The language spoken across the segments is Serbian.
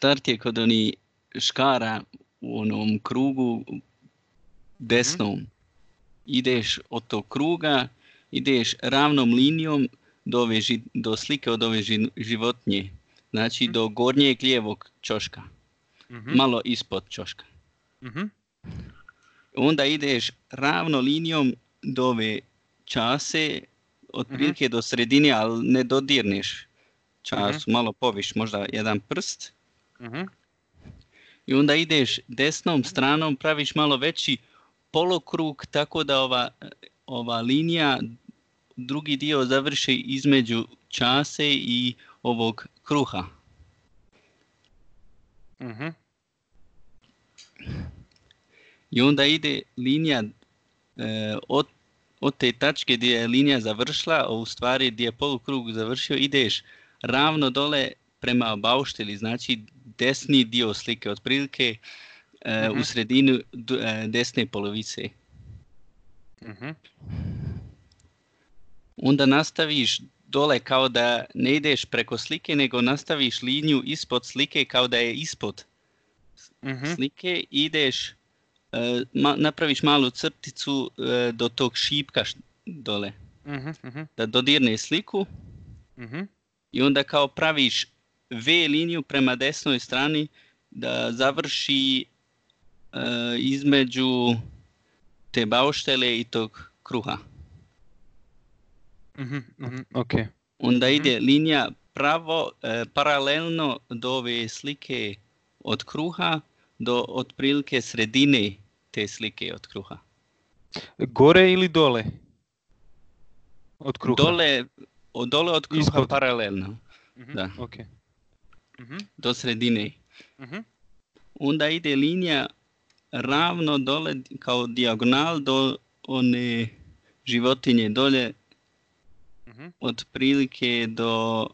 start je kod onih škara u onom krugu desnom. Ideš od tog kruga, ideš ravnom linijom do slike od ove životinje. Znači do gornjeg lijevog ćoška. Malo ispod ćoška. Onda ideš ravno linijom do ove čase, otprilike do sredine, ali ne dodirneš času, malo poviš, možda jedan prst. I onda ideš desnom stranom, praviš malo veći polukrug, tako da ova linija, drugi dio završi između čase i ovog kruha. I onda ide linija od te tačke gdje je linija završila, a u stvari gdje je polukrug završio, ideš ravno dole prema baušteli, znači desni dio slike, otprilike u sredinu desne polovice. Onda nastaviš dole kao da ne ideš preko slike, nego nastaviš liniju ispod slike kao da je ispod slike, ideš, napraviš malu crticu do tog šipka dole, da dodirne sliku i onda kao praviš V liniju prema desnoj strani da završi između te bauštele i tog kruha. Okay. Onda ide linija pravo, paralelno do ove slike od kruha do otprilike sredine te slike od kruha. Gore ili dole? Od kruha? Dole od kruha. Ispod. Paralelno. Da. Okay. Do sredine. Onda ide linija ravno dole kao dijagonal do one životinje dolje, otprilike do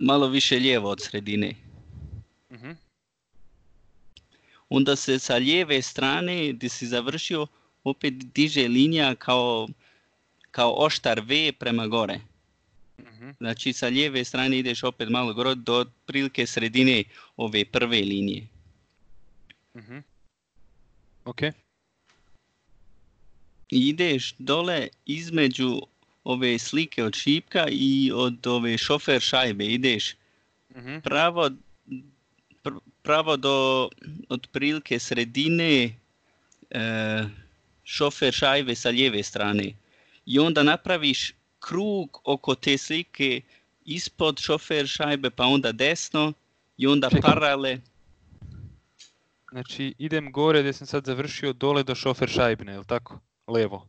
malo više lijevo od sredine. Onda se sa lijeve strane gdje si završio opet diže linija kao oštar V prema gore. Znači sa lijeve strane ideš opet malo gore do otprilike sredine ove prve linije. Ok. I ideš dole između ove slike od šipka i od ove šofer šajbe. Ideš pravo do otprilike sredine šofer šajbe sa lijeve strane. I onda napraviš krug oko te slike ispod šofer šajbe, pa onda desno i onda parale. Znači idem gore gdje sam sad završio dole do šofer šajbne, je li tako? Levo.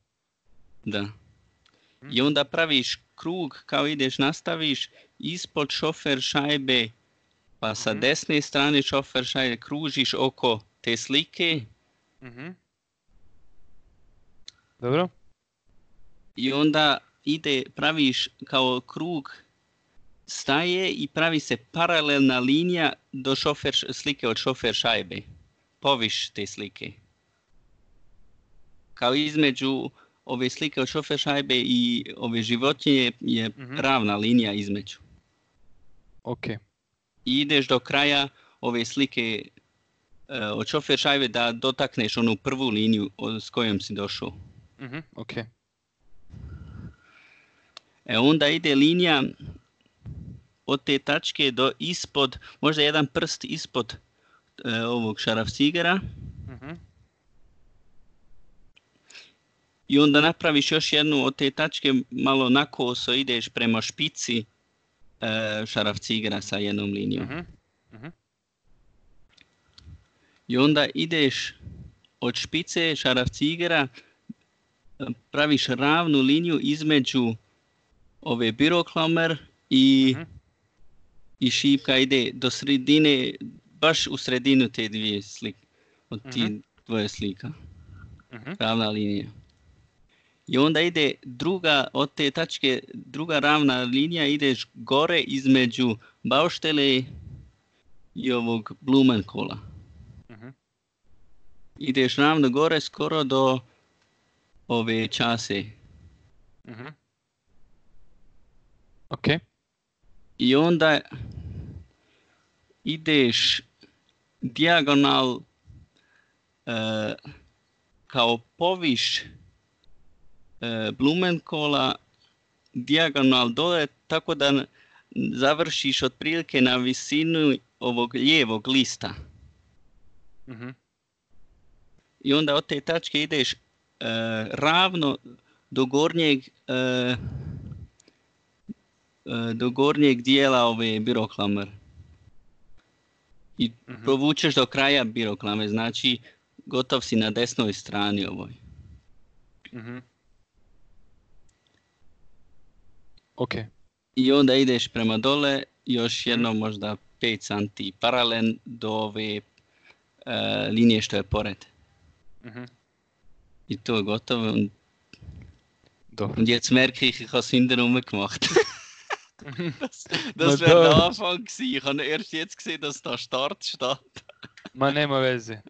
Da. I onda praviš krug kao ideš, nastaviš ispod šofer šajbe, pa sa desne strane šofer šajbe kružiš oko te slike. Dobro. I onda praviš kao krug, staje i pravi se paralelna linija do slike od šofer šajbe. Poviš te slike. Kao između ove slike od šofer šajbe i ove životinje je ravna linija između. Ok. I ideš do kraja ove slike od šofer šajbe da dotakneš onu prvu liniju s kojom si došao. Ok. Onda ide linija od te tačke do ispod, možda jedan prst ispod ovog šarafcigera. I onda napraviš još jednu od te tačke, malo nakoso ideš prema špici šarafcigera sa jednom linijom. I onda ideš od špice šarafcigera, praviš ravnu liniju između ove biroklomer i šipka ide do sredine, baš u sredinu te dvije slike, od ti dvoje slika. Ravna linija. I onda ide od te tačke, druga ravna linija, ideš gore između bauštele i ovog Blumenkohla. Ideš ravno gore skoro do ove čase. Ok. I onda ideš dijagonal kao poviš Blumenkohla dijagonal dole, tako da završiš otprilike na visinu ovog lijevog lista. I onda od te tačke ideš ravno do gornjeg dijela ove Biroklamer. I provučeš do kraja Biroklame, znači gotov si na desnoj strani ovoj. Ok. I onda ideš prema dole, još jedno možda 5 santi paralel do ove linije što je pored. I to je gotovo. Und jetzt merke ich habe es hintenrum gemacht. Das wäre der Anfang gewesen. Ich habe erst jetzt gesehen, dass da Start steht. Ma nema veze.